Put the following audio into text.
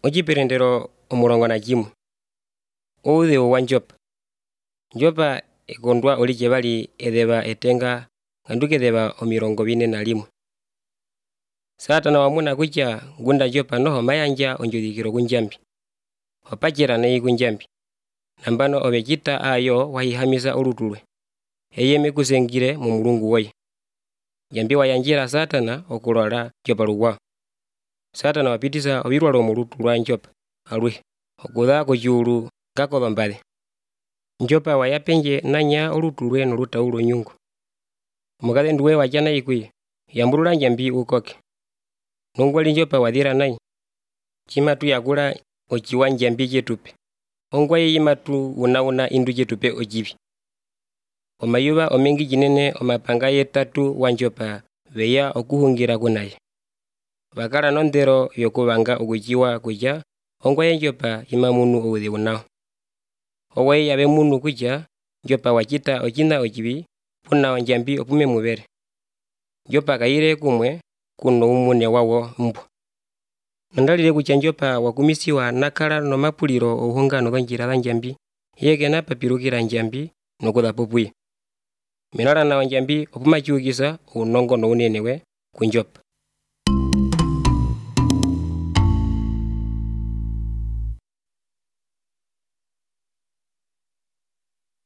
Ociperendero omulongo nacimwe. Uudhigu wa Njopa. Njopa ekondwa olike bali edheba etenga ngandu kedheba 41. Satana wamuna kutya ngunda Njopa noho mayandja ondjudhikilo kunjambi. Wapakela nayi kunjambi. Nambano obekita ayo wahihamisa olutulwe. Eye mekusengile mu mulungu woye. Njambi wayanjila Satana okulola Njopa lugwa. Satana wapitisa obilwalo mu lutu lwa Njopa alwe okudha kochiulu kakoba-mbale. Njopa wayapenje nanya olutulwe nolutaulo nyungu. Omukadhe nduwe watya nayi kuye yambulula njambi ukoke. Nongwali Njopa wadhila nayi chimatu yakula ochiwa njambi chetupe. Ongwaye yimatu una indu chetupe ochibi. Omayuba omengi jinene omapanga yetatu wa Njopa beya okuhungira kunaye. Bakala nondero yokubanga okuchiwa kutya ongwaye Njopa imamunu uudhigu nawo. Owaye yabe munu kutya Njopa wachita ochina ochibi puna ondjambi opume mubele. Njopa kayile kumwe kuno umune wawo mbwa. Nondalile kutya Njopa wakumisiwa nakala nomapulilo ohungano dhondjila dha njambi yekena papilukila njambi nokudha popuye. Minala na ondjambi opumachiukisa unongo no unene we ku Njopa.